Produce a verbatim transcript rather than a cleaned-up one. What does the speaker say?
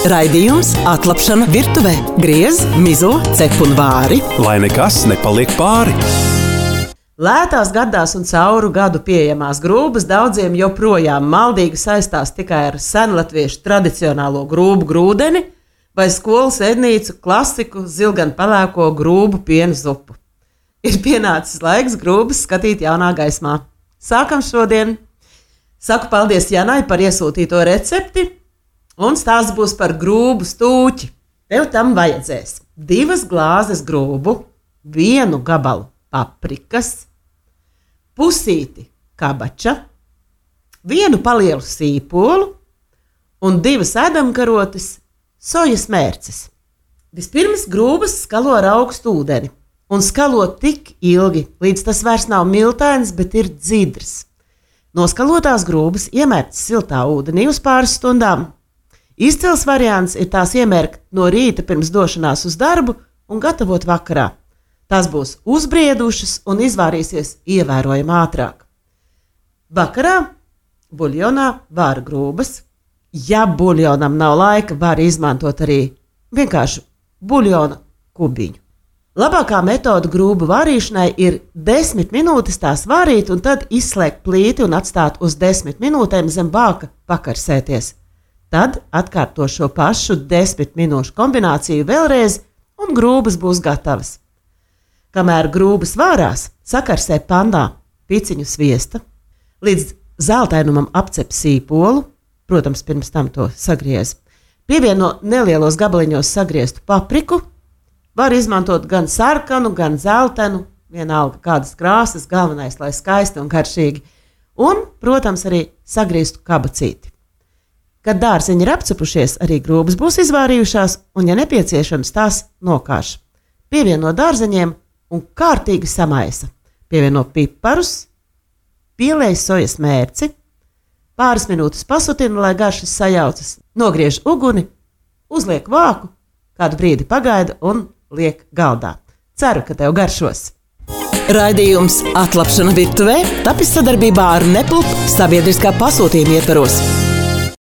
Raidījums Atlapšana virtuvē. Griez, mizo, cep un vāri. Lai nekas nepaliek pāri. Lētās, gardās un cauru gadu pieejamās grūbas daudziem joprojām maldīgi saistās tikai ar senlatviešu tradicionālo grūbu grūdeni vai skolas ēdnīcu klasiku zilgan pelēko grūbu pienu zupu. Ir pienācis laiks grūbas skatīt jaunā gaismā. Sākam šodien! Saku paldies Janai par iesūtīto recepti, un stāsts būs par grūbu stūķi. Tev tam vajadzēs divas glāzes grūbu, vienu gabalu paprikas, pusīti kabača, vienu palielu sīpolu un divas ēdamkarotes sojas mērces. Vispirms grūbas skalo ar augstu ūdeni un skalo tik ilgi, līdz tas vairs nav miltains, bet ir dzidrs. Noskalotās grūbas iemērtas siltā ūdenī uz pāris stundām. Izcils variants ir tās iemērkt no rīta pirms došanās uz darbu un gatavot vakarā. Tās būs uzbriedušas un izvārīsies ievērojami ātrāk. Vakarā buļļonā vāra grūbas. Ja buļļonam nav laika, var izmantot arī vienkārši buļļona kubiņu. Labākā metode grūbu vārīšanai ir desmit minūtes tās vārīt un tad izslēgt plīti un atstāt uz desmit minūtēm zem bāka pakarsēties. Tad atkārto šo pašu desmit minūšu kombināciju vēlreiz un grūbas būs gatavas. Kamēr grūbas vārās, sakarsē pannā piciņu sviesta, līdz zeltainumam apcep sīpolu, protams, pirms tam to sagriez. Pievieno nelielos gabaliņos sagrieztu papriku, var izmantot gan sarkanu, gan zeltainu, vienalga kādas krāsas, galvenais, lai skaisti un garšīgi, un, protams, arī sagrieztu kabacīti. Kad dārzeņi ir apcepušies, arī grūbas būs izvārījušās, un, ja nepieciešams, tās nokāš. Pievieno dārzeņiem un kārtīgi samaisa. Pievieno piparus, pielej sojas mērci, pāris minūtes pasutina, lai garšas sajaucas, nogriež uguni, uzliek vāku, kādu brīdi pagaida un liek galdā. Ceru, ka tev garšos! Raidījums Atlapšana virtuvē tapis sadarbībā ar Nepulp sabiedriskā pasūtījuma ietvaros.